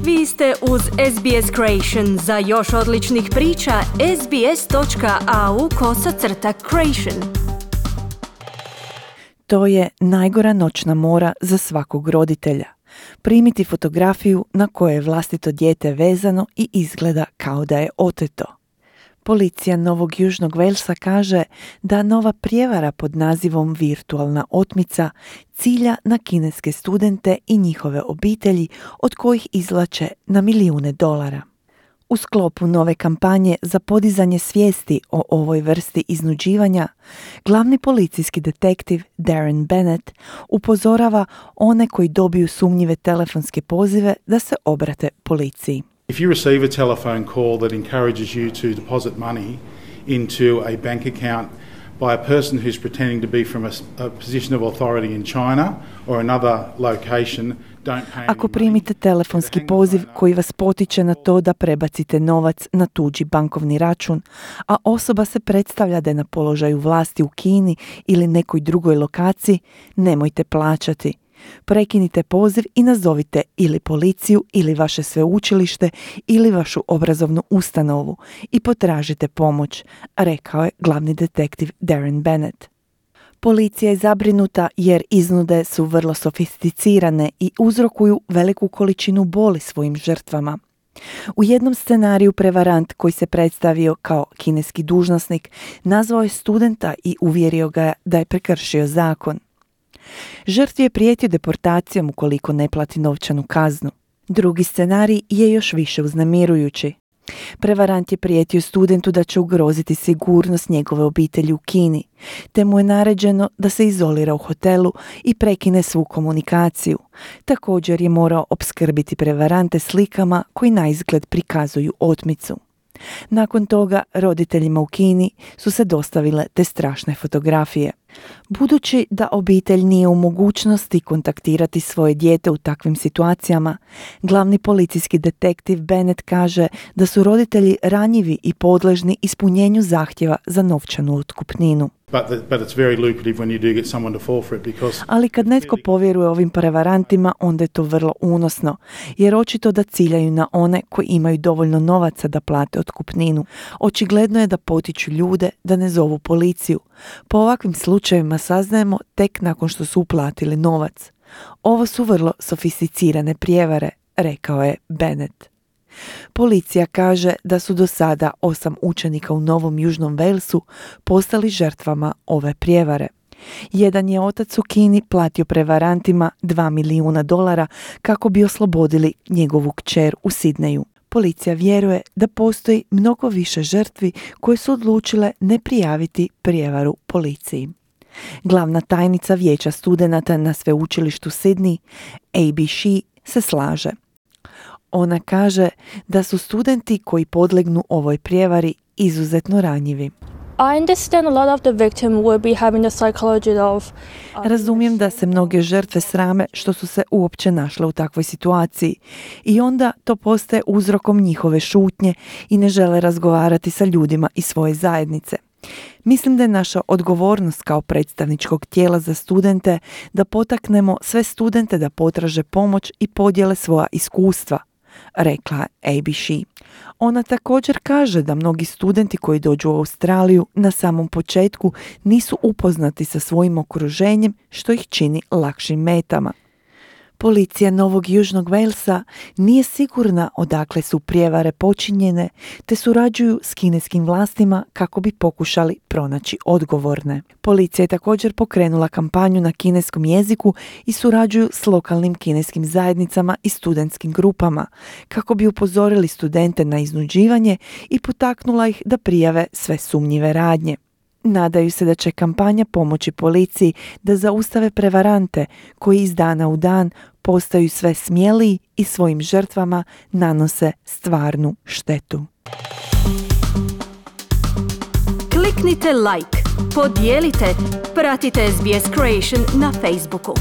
Vi ste uz SBS Creation. Za još odličnih priča, sbs.au/creation. To je najgora noćna mora za svakog roditelja. Primiti fotografiju na kojoj je vlastito dijete vezano i izgleda kao da je oteto. Policija Novog Južnog Walesa kaže da nova prijevara pod nazivom virtualna otmica cilja na kineske studente i njihove obitelji od kojih izvlače na milijune dolara. U sklopu nove kampanje za podizanje svijesti o ovoj vrsti iznuđivanja, glavni policijski detektiv Darren Bennett upozorava one koji dobiju sumnjive telefonske pozive da se obrate policiji. If you receive a telephone call that encourages you to deposit money into a bank account by a person who's pretending to be from a position of authority in China or another location, don't pay. Ako primite telefonski poziv koji vas potiče na to da prebacite novac na tuđi bankovni račun, a osoba se predstavlja da je na položaju vlasti u Kini ili nekoj drugoj lokaciji, nemojte plaćati. Prekinite poziv i nazovite ili policiju ili vaše sveučilište ili vašu obrazovnu ustanovu i potražite pomoć, rekao je glavni detektiv Darren Bennett. Policija je zabrinuta jer iznude su vrlo sofisticirane i uzrokuju veliku količinu boli svojim žrtvama. U jednom scenariju prevarant koji se predstavio kao kineski dužnosnik nazvao je studenta i uvjerio ga da je prekršio zakon. Žrtvi je prijetio deportacijom ukoliko ne plati novčanu kaznu. Drugi scenarij je još više uznemirujući. Prevarant je prijetio studentu da će ugroziti sigurnost njegove obitelji u Kini, te mu je naređeno da se izolira u hotelu i prekine svu komunikaciju. Također je morao opskrbiti prevarante slikama koji naizgled prikazuju otmicu. Nakon toga roditeljima u Kini su se dostavile te strašne fotografije. Budući da obitelj nije u mogućnosti kontaktirati svoje dijete u takvim situacijama, glavni policijski detektiv Bennett kaže da su roditelji ranjivi i podležni ispunjenju zahtjeva za novčanu otkupninu. Ali kad netko povjeruje ovim prevarantima, onda je to vrlo unosno, jer očito da ciljaju na one koji imaju dovoljno novaca da plate otkupninu. Očigledno je da potiču ljude da ne zovu policiju. Po ovakvim slučajevima saznajemo tek nakon što su uplatili novac. Ovo su vrlo sofisticirane prijevare, rekao je Bennett. Policija kaže da su do sada 8 učenika u Novom Južnom Walesu postali žrtvama ove prijevare. Jedan je otac u Kini platio prevarantima $2 milijuna kako bi oslobodili njegovu kćer u Sidneju. Policija vjeruje da postoji mnogo više žrtvi koje su odlučile ne prijaviti prijevaru policiji. Glavna tajnica vijeća studenata na sveučilištu Sydney, A.B. Shee, se slaže. Ona kaže da su studenti koji podlegnu ovoj prijevari izuzetno ranjivi. Razumijem da se mnoge žrtve srame što su se uopće našle u takvoj situaciji i onda to postaje uzrokom njihove šutnje i ne žele razgovarati sa ljudima iz svoje zajednice. Mislim da je naša odgovornost kao predstavničkog tijela za studente da potaknemo sve studente da potraže pomoć i podijele svoja iskustva, rekla A.B. Shee. Ona također kaže da mnogi studenti koji dođu u Australiju na samom početku nisu upoznati sa svojim okruženjem, što ih čini lakšim metama. Policija Novog Južnog Walesa nije sigurna odakle su prijevare počinjene, te surađuju s kineskim vlastima kako bi pokušali pronaći odgovorne. Policija je također pokrenula kampanju na kineskom jeziku i surađuju s lokalnim kineskim zajednicama i studentskim grupama kako bi upozorili studente na iznuđivanje i potaknula ih da prijave sve sumnjive radnje. Nadaju se da će kampanja pomoći policiji da zaustave prevarante koji iz dana u dan postaju sve smjeliji i svojim žrtvama nanose stvarnu štetu. Kliknite like, podijelite, pratite SBS Creation na Facebooku.